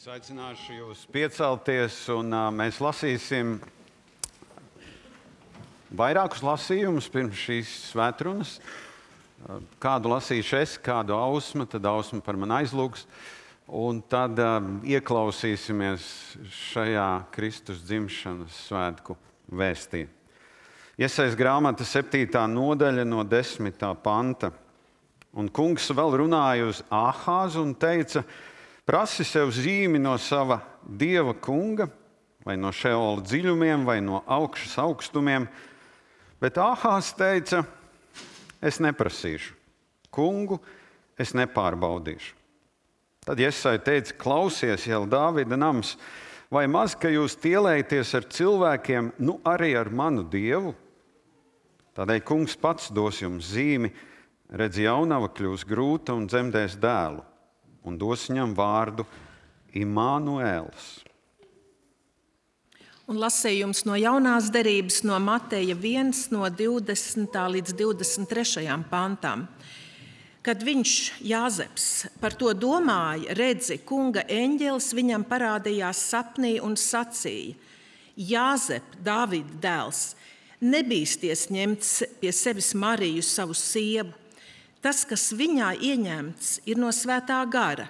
Es aicināšu jūs piecelties, un mēs lasīsim vairākus lasījumus pirms šīs svētrunas. Kādu lasīšu es, kādu Ausma, tad Ausma par mani aizlūgs. Un tad ieklausīsimies šajā Kristus dzimšanas svētku vēstī. Iesaijas grāmata 7. nodaļa no 10. panta. Un kungs vēl runāja uz Āhāzu un teica: prasi sev zīmi no sava dieva kunga, vai no Šeola dziļumiem, vai no augšas augstumiem. Bet Āhāzs teica: es neprasīšu, kungu es nepārbaudīšu. Tad Iesaja teica: klausies, jau Dāvida nams, vai maz, ka jūs tielējaties ar cilvēkiem, nu arī ar manu dievu? Tādēļ kungs pats dos jums zīmi, redz, jaunava kļūs grūta un dzemdēs dēlu, un dos viņam vārdu Imānuēls. Un lasījums no jaunās derības no Mateja 1, no 20. līdz 23. pantam. Kad viņš, Jāzeps, par to domāja, redzi, kunga eņģelis viņam parādījās sapnī un sacīja: Jāzep, Dāvida dēls, nebīsties ņemt pie sevis Mariju, savu sievu. Tas, kas viņā ieņemts, ir no svētā gara.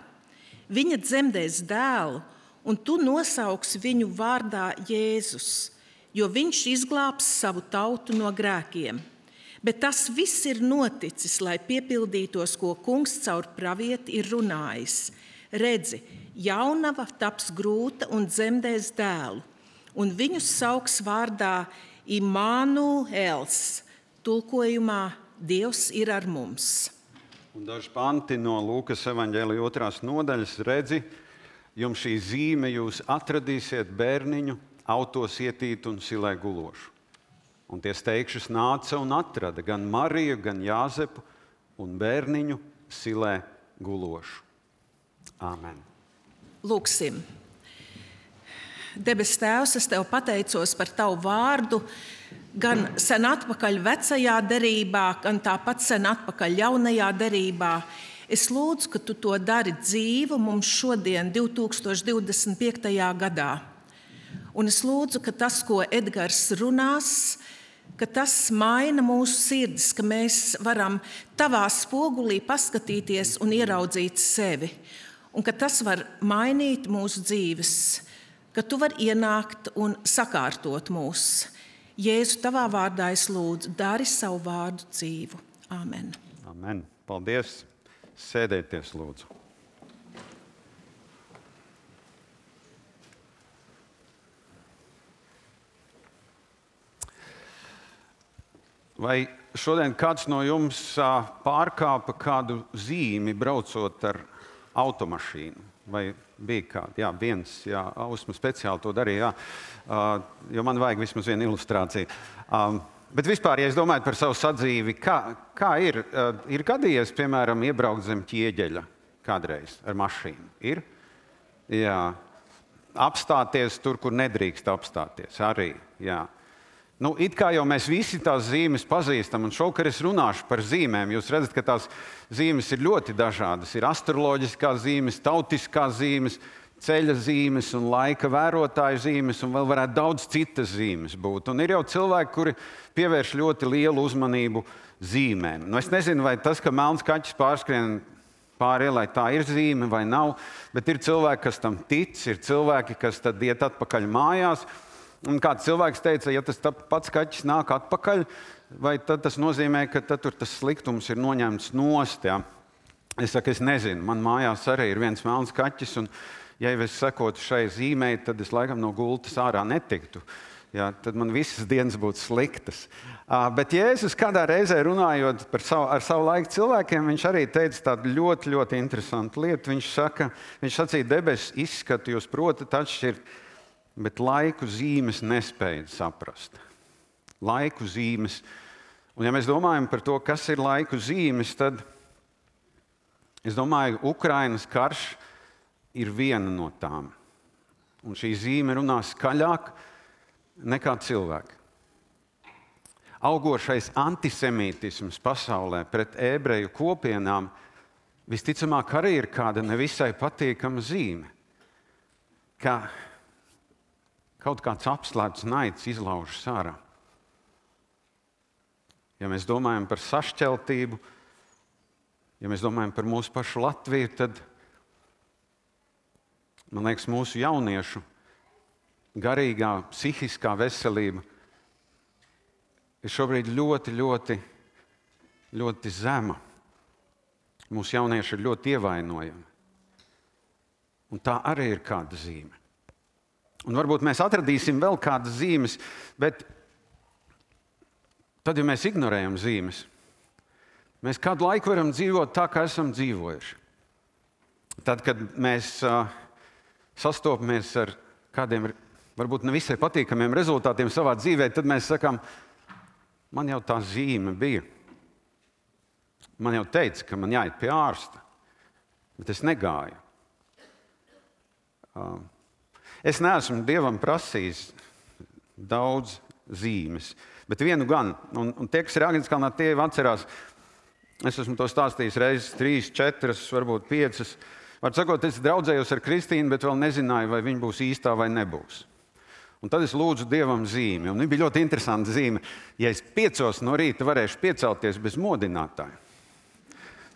Viņa dzemdēs dēlu, un tu nosauksi viņu vārdā Jēzus, jo viņš izglābs savu tautu no grēkiem. Bet tas viss ir noticis, lai piepildītos, ko kungs caur pravieti ir runājis. Redzi, jaunava taps grūta un dzemdēs dēlu, un viņu sauks vārdā Imānuēls, tulkojumā Dievs ir ar mums. Un daži panti no Lūkas evaņģēlija 2. nodaļas. Redzi, jums šī zīme, jūs atradīsiet bērniņu autos ietītu un silē gulošu. Un tie steigšus nāca un atrada gan Mariju, gan Jāzepu un bērniņu silē gulošu. Āmen. Lūksim. Debes Tēvs, es Tev pateicos par Tavu vārdu, gan sen atpakaļ vecajā derībā, gan tāpat sen atpakaļ jaunajā derībā. Es lūdzu, ka Tu to dari dzīvu mums šodien, 2025. gadā. Un es lūdzu, ka tas, ko Edgars runās, ka tas maina mūsu sirdis, ka mēs varam Tavā spogulī paskatīties un ieraudzīt sevi. Un ka tas var mainīt mūsu dzīves, ka Tu vari ienākt un sakārtot mūs. Jēzu, Tavā vārdā es lūdzu, dari savu vārdu dzīvu. Āmen. Amen. Paldies. Sēdieties, lūdzu. Vai šodien kāds no jums pārkāpa kādu zīmi, braucot ar automašīnu? Vai bija kāda? Jā, viens, jā, Ausma speciāli to darīja, jo man vajag vismaz vienu ilustrāciju. Bet vispār, ja es domāju par savu sadzīvi, kā ir gadījies, piemēram, iebraukt zem Ķieģeļa kādreiz ar mašīnu? Ir? Jā. Apstāties tur, kur nedrīkst apstāties arī, jā. Nu, it kā jau mēs visi tās zīmes pazīstam, un šovakar es runāšu par zīmēm. Jūs redzat, ka tās zīmes ir ļoti dažādas. Ir astroloģiskās zīmes, tautiskās zīmes, ceļa zīmes un laika vērotāju zīmes, un vēl varētu daudz citas zīmes būt. Un ir jau cilvēki, kuri pievērš ļoti lielu uzmanību zīmēm. Nu, es nezinu, vai tas, ka melns kaķis pārskrien pāri ielai, tā ir zīme vai nav, bet ir cilvēki, kas tam tic, ir cilvēki, kas tad iet atpakaļ mājās. Un kāds cilvēks teica, ja tas pats kaķis nāk atpakaļ, vai tad tas nozīmē, ka tad tur tas sliktums ir noņemts nost, jā? Es saku, es nezinu, man mājās arī ir viens melns kaķis, un ja es sekotu šai zīmei, tad es laikam no gultas ārā netiktu. Jā, tad man visas dienas būtu sliktas. Bet Jēzus kādā reizē runājot ar savu laiku cilvēkiem, viņš arī teica tādu ļoti, ļoti interesantu lietu. Viņš sacīja, debesis izskatu jūs protat atšķirt, bet laiku zīmes nespēja saprast. Laiku zīmes. Un ja mēs domājam par to, kas ir laiku zīmes, tad es domāju, Ukrainas karš ir viena no tām. Un šī zīme runā skaļāk nekā cilvēki. Augošais antisemītisms pasaulē pret ebreju kopienām visticamāk arī ir kāda nevisai patīkama zīme. ka kaut kāds apslēpts naids izlaužas ārā. Ja mēs domājam par sašķeltību, ja mēs domājam par mūsu pašu Latviju, tad, man liekas, mūsu jauniešu garīgā, psihiskā veselība ir šobrīd ļoti, ļoti, ļoti zema. Mūsu jaunieši ir ļoti ievainojami. Un tā arī ir kāda zīme. Un varbūt mēs atradīsim vēl kādas zīmes, bet tad, ja mēs ignorējam zīmes, mēs kādu laiku varam dzīvot tā, kā esam dzīvojuši. Tad, kad mēs sastopamies ar kādiem varbūt nevisai patīkamiem rezultātiem savā dzīvē, tad mēs sakām, man jau tā zīme bija. Man jau teica, ka man jāiet pie ārsta, bet es negāju. Es neesmu Dievam prasījis daudz zīmes, bet vienu gan. Un tie, kas ir Āgenskalnā, tie jau atcerās, es esmu to stāstījis reizes 3, 4, varbūt 5. Var sakot, es draudzējos ar Kristīnu, bet vēl nezināju, vai viņa būs īstā vai nebūs. Un tad es lūdzu Dievam zīmi. Un viņa bija ļoti interesanta zīme. Ja es 5 no rīta varēšu piecelties bez modinātāja,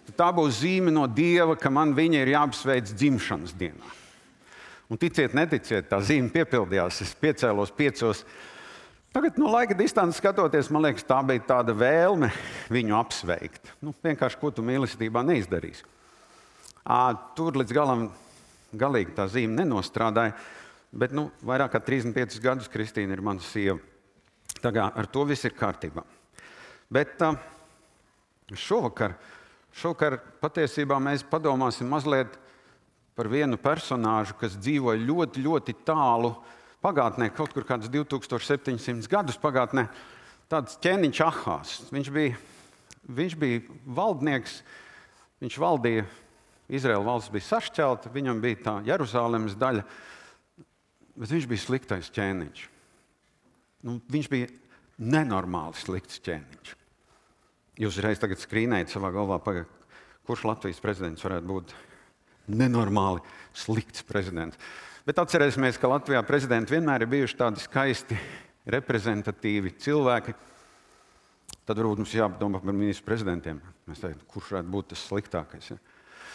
tad tā būs zīme no Dieva, ka man viņa ir jāapsveic dzimšanas dienā. Un ticiet, neticiet, tā zīme piepildījās. Es piecēlos 5. Tagad no laika distances skatoties, man liekas, tā bija tāda vēlme viņu apsveikt. Vienkārši, ko tu mīlestībā neizdarīsi. Tur līdz galam galīgi tā zīme nenostrādāja, bet vairāk kā 35 gadus Kristīna ir mana sieva. Tā kā ar to viss ir kārtībā. Bet šovakar patiesībā mēs padomāsim mazliet par vienu personāžu, kas dzīvoja ļoti, ļoti tālu pagātnē, kaut kur kādus 2700 gadus pagātnē, tāds ķēniņš Ahās. Viņš bija valdnieks, viņš valdīja, Izraēla valsts bija sašķelta, viņam bija tā Jeruzālemes daļa, bet viņš bija sliktais ķēniņš. Viņš bija nenormāli slikts ķēniņš. Jūs reiz tagad skrīnējat savā galvā, kurš Latvijas prezidents varētu būt nenormāli slikts prezidents. Bet atcerēsimies, ka Latvijā prezidenti vienmēr ir bijuši tādi skaisti, reprezentatīvi cilvēki. Tad varbūt mums jāpadomā par ministru prezidentiem. Mēs teiktu, kurš varētu būt tas sliktākais. Ja?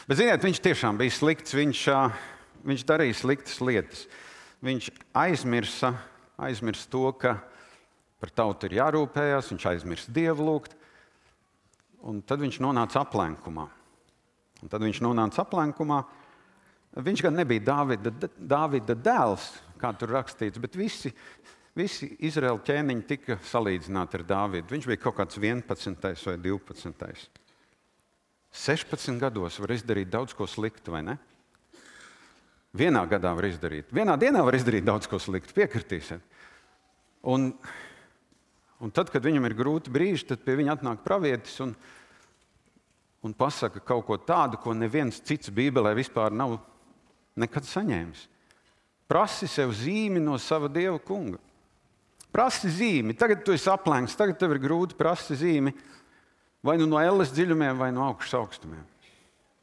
Bet, ziniet, viņš tiešām bija slikts. Viņš darīja sliktas lietas. Viņš aizmirsa to, ka par tautu ir jārūpējās. Viņš aizmirsa Dievu lūgt. Un tad viņš nonāca aplenkumā. Viņš gan nebija Dāvida dēls, kā tur rakstīts, bet visi Izraēla ķēniņi tika salīdzināti ar Dāvidu. Viņš bija kaut kāds 11. vai 12. 16 gados var izdarīt daudz ko sliktu, vai ne? Vienā gadā var izdarīt. Vienā dienā var izdarīt daudz ko sliktu, piekritīsiet. Un tad, kad viņam ir grūti brīži, tad pie viņa atnāk pravietis un pasaka kaut ko tādu, ko neviens cits Bībelē vispār nav nekad saņēmis. Prasi sev zīmi no sava Dieva kunga. Prasi zīmi. Tagad tu esi aplenks, tagad tev ir grūti, prasi zīmi. Vai no elles dziļumiem, vai no augšas augstumiem.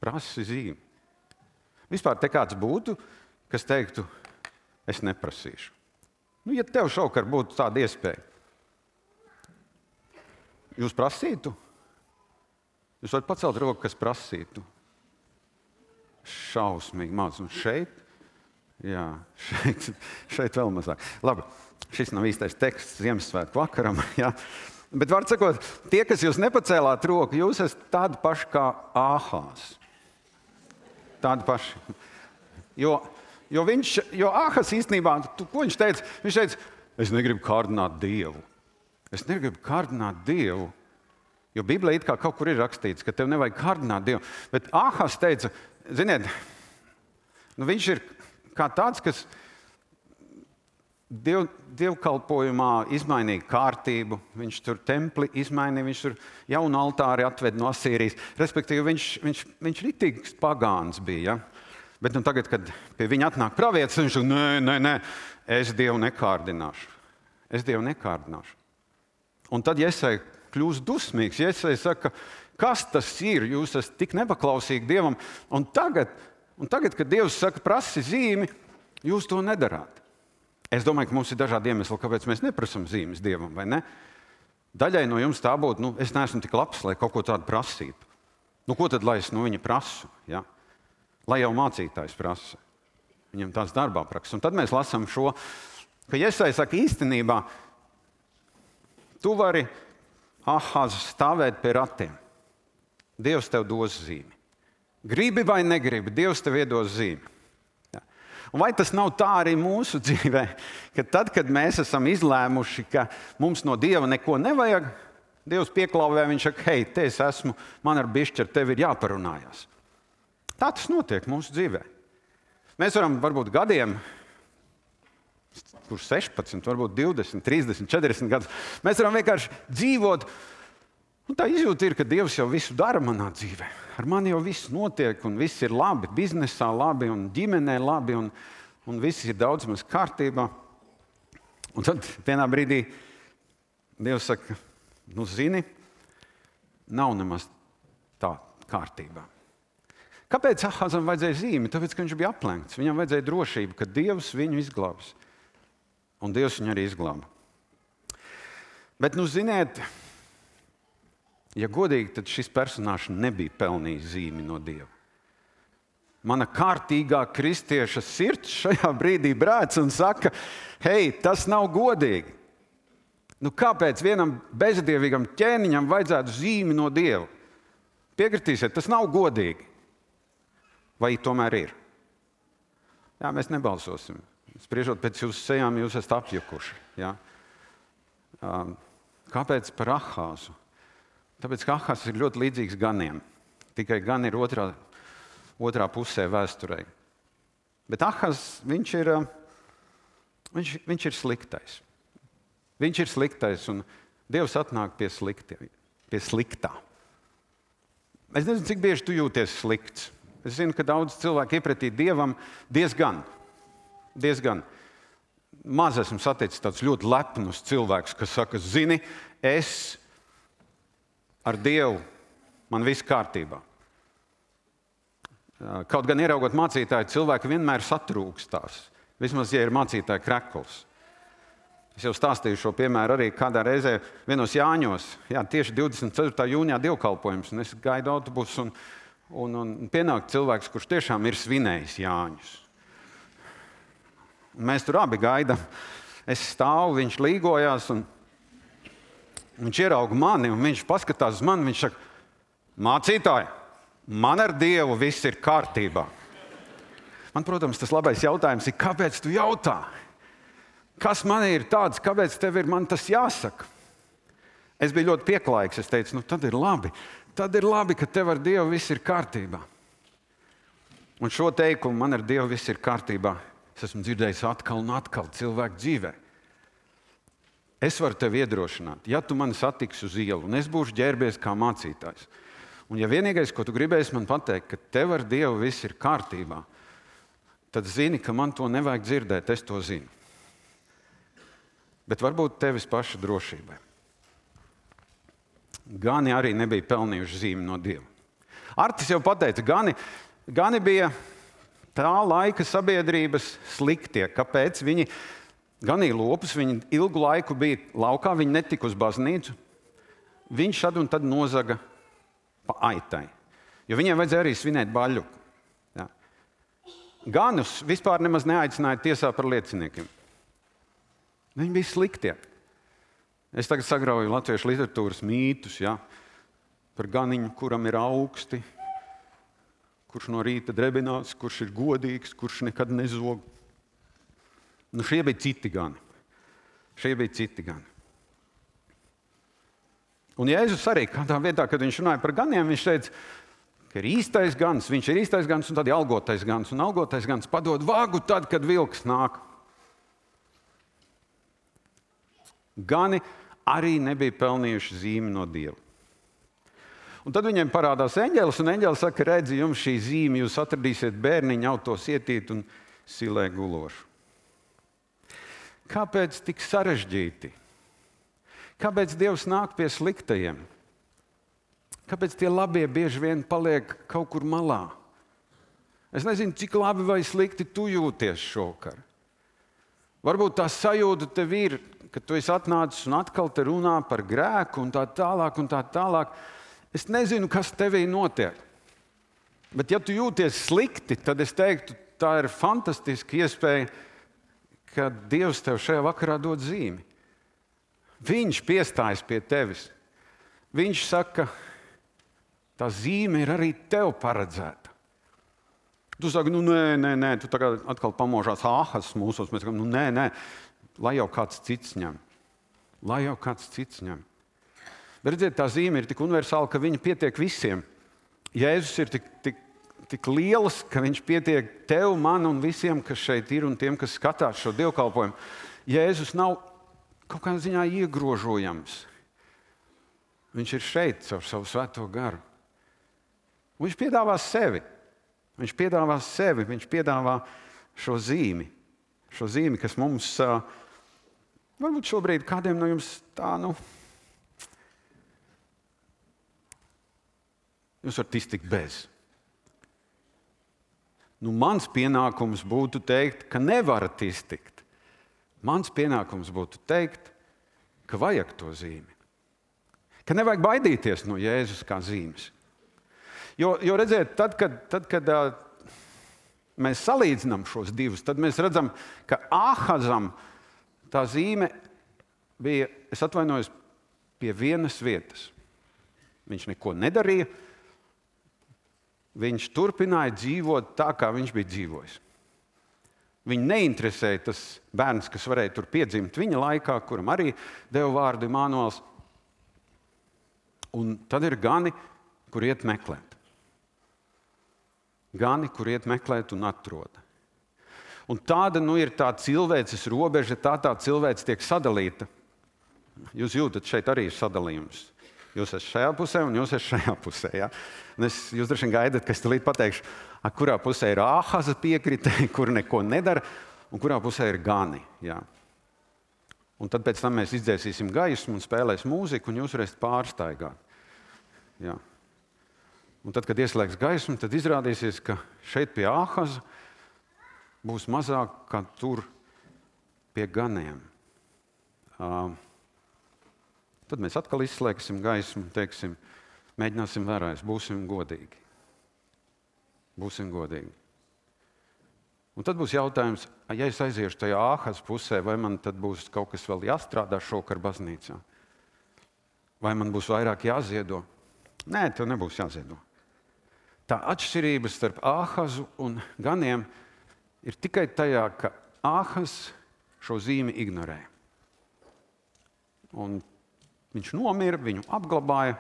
Prasi zīmi. Vispār te kāds būtu, kas teiktu, es neprasīšu. Ja tev šovakar būtu tāda iespēja, jūs prasītu? Jūs varat pacelt roku, kas prasītu. Šausmīgi maz. Un šeit? Jā, šeit vēl mazāk. Labi, šis nav īstais teksts Ziemassvētku vakaram. Jā. Bet var sakot, tie, kas jūs nepacēlāt roku, jūs esat tādi paši kā Āhās. Tādi paši. Jo Āhās īstenībā, ko viņš teica? Viņš teica, es negribu kārdināt Dievu. Es negribu kārdināt Dievu. Jo Bībelē it kā kaut kur ir rakstīts, ka tev nevajag kārdināt Dievu. Bet Āhās teica, ziniet, viņš ir kā tāds, kas dievkalpojumā izmainīja kārtību. Viņš tur templi izmainīja, viņš tur jaunu altāri atved no Asīrijas. Respektīvi, viņš ritīgs pagāns bija. Ja? Bet tagad, kad pie viņa atnāk pravietis, viņš saka, nē, es Dievu nekārdināšu. Un tad Jesaja kļūst dusmīgs. Jesaja saka, kas tas ir? Jūs esat tik nepaklausīgi Dievam. Un tagad, kad Dievs saka, prasi zīmi, Jūs to nedarāt. Es domāju, ka mums ir dažādi iemesli, kāpēc mēs neprasam zīmes Dievam, vai ne? Daļai no jums tā būtu, es neesmu tik labs, lai kaut ko tādu prasītu. Ko tad, lai es no viņa prasu? Ja? Lai jau mācītājs prasa. Viņam tās darbā praksa. Un tad mēs lasām šo, ka Jesai saka, īstenībā tu vari Ahāz stāvēt pie ratiem. Dievs tev dos zīmi. Gribi vai negribi, Dievs tev iedos zīmi. Un vai tas nav tā arī mūsu dzīvē, ka tad, kad mēs esam izlēmuši, ka mums no Dieva neko nevajag, Dievs pieklauvē, viņš saka, hei, te es esmu, man ar bišķi ar tevi ir jāparunājās. Tā tas notiek mūsu dzīvē. Mēs varam varbūt gadiem, kurš 16, varbūt 20, 30, 40 gadus, mēs varam vienkārši dzīvot. Un tā izjūta ir, ka Dievs jau visu dara manā dzīvē. Ar mani jau viss notiek, un viss ir labi, biznesā labi, un ģimenē labi, un viss ir daudz maz kārtībā. Un tad vienā brīdī Dievs saka, zini, nav nemaz tā kārtībā. Kāpēc Ahāzam vajadzēja zīmi? Tāpēc, ka viņš bija aplenkts. Viņam vajadzēja drošību, ka Dievs viņu izglābs. Un Dievs viņu arī izglāba. Bet, ziniet, ja godīgi, tad šis personāžs nebija pelnījis zīmi no Dieva. Mana kārtīgā kristieša sirds šajā brīdī brēc un saka, hei, tas nav godīgi. Kāpēc vienam bezdievīgam ķēniņam vajadzētu zīmi no Dieva? Piekritīsiet, tas nav godīgi. Vai tomēr ir? Jā, mēs nebalsosim. Spriežot pēc jūsu sejām, jūs esat apjukuši. Ja? Kāpēc par Ahāzu? Tāpēc, ka Ahāzs ir ļoti līdzīgs ganiem. Tikai gan ir otrā pusē vēsturē. Bet Ahāzs, viņš ir sliktais. Viņš ir sliktais, un Dievs atnāk pie sliktā. Es nezinu, cik bieži tu jūties slikts. Es zinu, ka daudz cilvēku iepratī Dievam diezgan. Maz esmu saticis tāds ļoti lepnus cilvēks, kas saka, zini, es ar Dievu, man viss kārtībā. Kaut gan ieraugot mācītāju, cilvēki vienmēr satrūkstās. Vismaz, ja ir mācītāja krekls. Es jau stāstīju šo piemēru arī kādā reizē vienos Jāņos. Jā, tieši 24. jūnijā dievkalpojums, un es gaidu autobusu, un pienāk cilvēks, kurš tiešām ir svinējis Jāņus. Un mēs tur abi gaidām. Es stāvu, viņš līgojās, un viņš ierauga mani, un viņš paskatās uz mani, viņš saka, mācītāji, man ar Dievu viss ir kārtībā. Man, protams, tas labais jautājums ir, kāpēc tu jautā? Kas man ir tāds, kāpēc tev ir man tas jāsaka? Es biju ļoti pieklājīgs, es teicu, tad ir labi, ka tev ar Dievu viss ir kārtībā. Un šo teikumu, man ar Dievu viss ir kārtībā, es esmu dzirdējis atkal un atkal cilvēku dzīvē. Es varu tevi iedrošināt, ja tu mani satiksi uz ielu, un es būšu ģērbies kā mācītājs. Un ja vienīgais, ko tu gribēsi man pateikt, ka tev ar Dievu viss ir kārtībā, tad zini, ka man to nevajag dzirdēt, es to zinu. Bet varbūt tevis paša drošībai. Gani arī nebija pelnījuši zīmi no Dieva. Artis jau pateica, gani bija tā laika sabiedrības sliktie. Kāpēc? Viņi ganīja lopus, viņi ilgu laiku bija laukā, viņi netika uz baznīcu. Viņš šad un tad nozaga pa aitai, jo viņiem vajadzēja arī svinēt baļļuku. Ja. Ganus vispār nemaz neaicināja tiesā par lieciniekiem. Viņi bija sliktie. Es tagad sagrauju latviešu literatūras mītus, ja, par ganiņu, kuram ir augsti, kurš no rīta drebinās, kurš ir godīgs, kurš nekad nezog. Šie bija citi gani. Un Jēzus arī kādā vietā, kad viņš runāja par ganiem, viņš teica, ka ir īstais gans, viņš ir īstais gans un tad ir algotais gans. Un algotais gans padod vagu tad, kad vilks nāk. Gani arī nebija pelnījuši zīmi no Dieva. Un tad viņiem parādās eņģelis, un eņģelis saka, redzi, jums šī zīme, jūs atradīsiet bērniņu autos ietīt un silē gulošu. Kāpēc tik sarežģīti? Kāpēc Dievs nāk pie sliktajiem? Kāpēc tie labie bieži vien paliek kaut kur malā? Es nezinu, cik labi vai slikti tu jūties šovakar. Varbūt tā sajūta tev ir, ka tu esi atnācis un atkal te runā par grēku un tā tālāk un tā tālāk. Es nezinu, kas tevī notiek. Bet ja tu jūties slikti, tad es teiktu, tā ir fantastiska iespēja, ka Dievs tev šajā vakarā dod zīmi. Viņš piestājas pie tevis. Viņš saka, tā zīme ir arī tev paredzēta. Tu saki, nē, tu tagad atkal pamožās āhas mūsos. Mēs sakām, nē, lai jau kāds cits ņem. Lai jau kāds cits ņem. Bet redziet, tā zīme ir tik universāla, ka viņa pietiek visiem. Jēzus ir tik liels, ka viņš pietiek tev, man un visiem, kas šeit ir un tiem, kas skatās šo dievkalpojumu. Jēzus nav kaut kādā ziņā iegrožojams. Viņš ir šeit ar savu svēto garu. Un viņš piedāvā sevi. Viņš piedāvā šo zīmi, kas mums, varbūt šobrīd kādiem no jums tā, jūs varat iztikt bez. Mans pienākums būtu teikt, ka nevarat iztikt. Mans pienākums būtu teikt, ka vajag to zīmi. Ka nevajag baidīties no Jēzus kā zīmes. Jo redziet, tad, kad mēs salīdzinām šos divus, tad mēs redzam, ka Āhazam tā zīme bija, es atvainojos, pie vienas vietas. Viņš neko nedarīja. Viņš turpināja dzīvot tā, kā viņš bija dzīvojis. Viņu neinteresēja tas bērns, kas varēja tur piedzimt viņa laikā, kuram arī deva vārdu Imānuels. Un tad ir gani, kur iet meklēt. Gani, kur iet meklēt un atrod. Un tāda ir tā cilvēces robeža, tā cilvēce tiek sadalīta. Jūs jūtat, šeit arī ir sadalījums. Jūs esat šajā pusē un jūs esat šajā pusē. Ja? Jūs droši vien gaidat, ka es tulīt pateikšu, kurā pusē ir Āhaza piekritēji, kur neko nedara, un kurā pusē ir gani. Ja? Un tad pēc tam mēs izdzēsīsim gaismu un spēlēs mūziku, un jūs varēsiet pārstaigāt. Ja? Un tad, kad ieslēgs gaismu, tad izrādīsies, ka šeit pie Āhaza būs mazāk kā tur pie ganiem. Tad mēs atkal izslēgsim gaismu un teiksim, mēģināsim vēlreiz, būsim godīgi. Būsim godīgi. Un tad būs jautājums, ja es aiziešu tajā Āhas pusē, vai man tad būs kaut kas vēl jāstrādā šovakar baznīcā? Vai man būs vairāk jāziedo? Nē, tev nebūs jāziedo. Tā atšķirība starp Āhazu un ganiem ir tikai tajā, ka Āhas šo zīmi ignorē. Un viņš nomira, viņu apglabāja,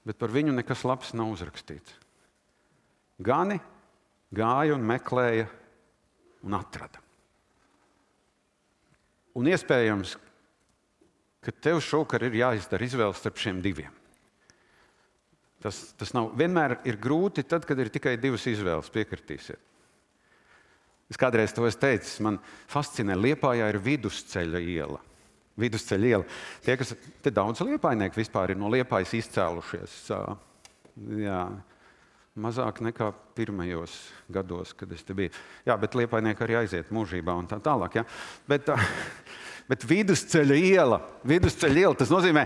bet par viņu nekas labs nav uzrakstīts. Gani gāja un meklēja un atrada. Un iespējams, ka tev šovakar ir jāizdara izvēle starp šiem diviem. Tas nav vienmēr ir grūti tad, kad ir tikai divas izvēles, piekritīsiet. Es kādreiz to esmu teicis, man fascinē, Liepājā ir Vidusceļa iela. Vidusceļa iela. Te daudz liepājnieku vispār ir no Liepājas izcēlušies. Jā, mazāk nekā pirmajos gados, kad es te biju. Jā, bet liepājnieki arī aiziet mūžībā un tā tālāk. Ja? Bet Vidusceļa iela, tas nozīmē,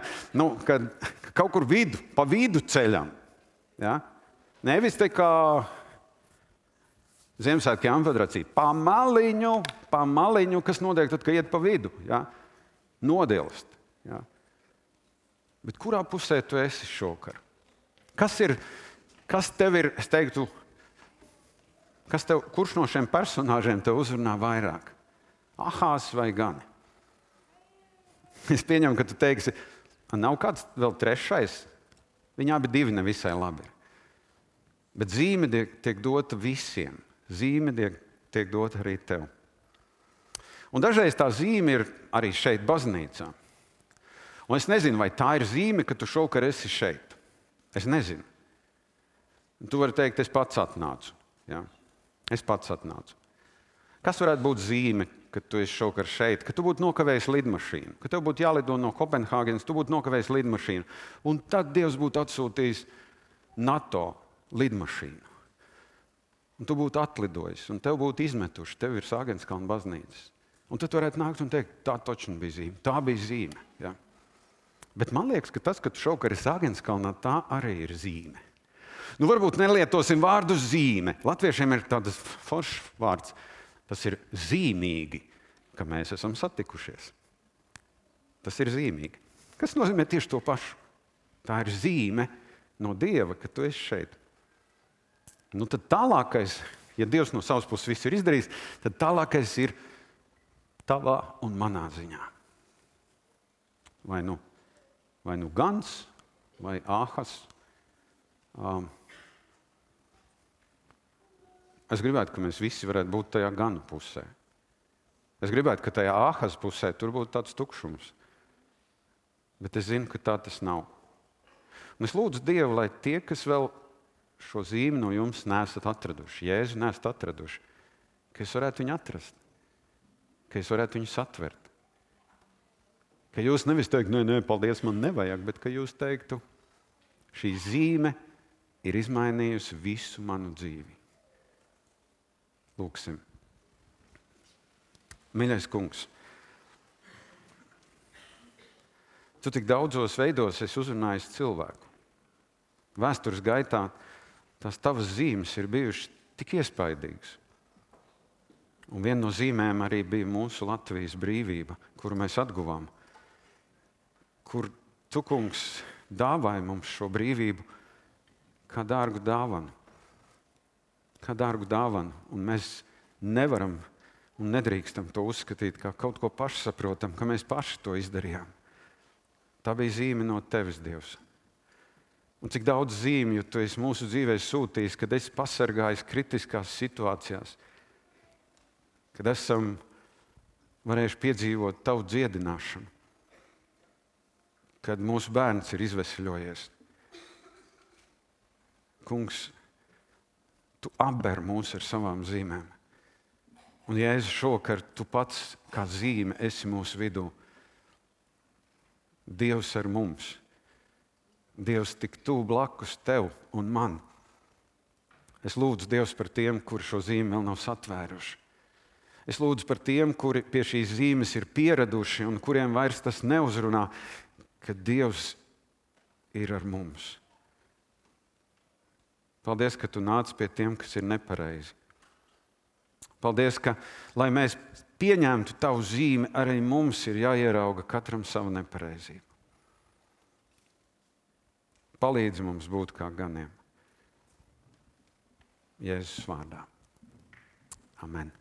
ka kaut kur pa vidu ceļam. Ja? Nevis te kā Ziemassvētku Jāņfederacija. Pa maliņu, kas notiek tad, kad iet pa vidu. Ja? Nodilst. Ja? Bet kurā pusē tu esi šovakar? Kas tev ir, es teiktu, kurš no šiem personāžiem tev uzrunā vairāk? Ahās vai Gani? Es pieņemu, ka tu teiksi, nav kāds vēl trešais? Viņi abi divi nevisai labi. Bet zīme tiek dota visiem. Zīme tiek dota arī tev. Un dažreiz tā zīme ir arī šeit, baznīcā. Un es nezinu, vai tā ir zīme, ka tu šovakar esi šeit. Es nezinu. Tu vari teikt, es pats atnācu. Ja? Es pats atnācu. Kas varētu būt zīme, ka tu esi šovakar šeit? Ka tu būtu nokavējis lidmašīnu. Ka tev būtu jālido no Kopenhāgenes, tu būtu nokavējis lidmašīnu. Un tad Dievs būtu atsūtījis NATO lidmašīnu. un tu būtu atlidojis, un tev būtu izmetuši, tev ir Sāgenskalna baznīcas. Un tad varētu nākt un teikt, tā taču bija zīme. Tā bija zīme. Ja? Bet man liekas, ka tas, ka tu šovakar esi Sāgenskalnā, tā arī ir zīme. Nu, varbūt nelietosim vārdu zīme. Latviešiem ir tāds foršs vārds. Tas ir zīmīgi, ka mēs esam satikušies. Tas ir zīmīgi. Kas nozīmē tieši to pašu? Tā ir zīme no Dieva, ka tu esi šeit. Nu, tad tālākais, ja Dievs no savas puses visu ir izdarījis, tad tālākais ir tavā un manā ziņā. Vai nu Gans, vai Āhas. Es gribētu, ka mēs visi varētu būt tajā Ganu pusē. Es gribētu, ka tajā Āhas pusē tur būtu tāds tukšums. Bet es zinu, ka tā tas nav. Un es lūdzu Dievu, lai tie, kas vēl šo zīmi no jums neesat atraduši, Jēzu neesat atraduši, ka es varētu viņu atrast, ka es varētu viņu satvert. Ka jūs nevis teikt, nē, paldies, man nevajag, bet ka jūs teiktu, šī zīme ir izmainījusi visu manu dzīvi. Lūksim. Mīļais kungs, tu tik daudzos veidos esi uzrunājis cilvēku. Vēstures gaitā tās tavas zīmes ir bijušas tik iespaidīgas. Un viena no zīmēm arī bija mūsu Latvijas brīvība, kuru mēs atguvām. Kur tu, kungs, dāvāji mums šo brīvību kā dārgu dāvanu. Kā dārgu dāvanu. Un mēs nevaram un nedrīkstam to uzskatīt kā kaut ko pašsaprotam, ka mēs paši to izdarījām. Tā bija zīme no tevis, Dievs. Un cik daudz zīmju tu esi mūsu dzīvē sūtījis, kad esi pasargājis kritiskās situācijās, kad esam varējuši piedzīvot tavu dziedināšanu, kad mūsu bērns ir izveseļojies. Kungs, tu apber mūs ar savām zīmēm. Un, Jēzus, šovakar tu pats kā zīme esi mūsu vidū. Dievs ar mums. Dievs tik tuvu blakus tev un man. Es lūdzu Dievs par tiem, kuri šo zīmi vēl nav satvēruši. Es lūdzu par tiem, kuri pie šīs zīmes ir pieraduši un kuriem vairs tas neuzrunā, ka Dievs ir ar mums. Paldies, ka tu nāc pie tiem, kas ir nepareizi. Paldies, ka, lai mēs pieņemtu tavu zīmi, arī mums ir jāierauga katram savu nepareizību. Palīdzi mums būt kā ganiem. Jēzus vārdā. Amen.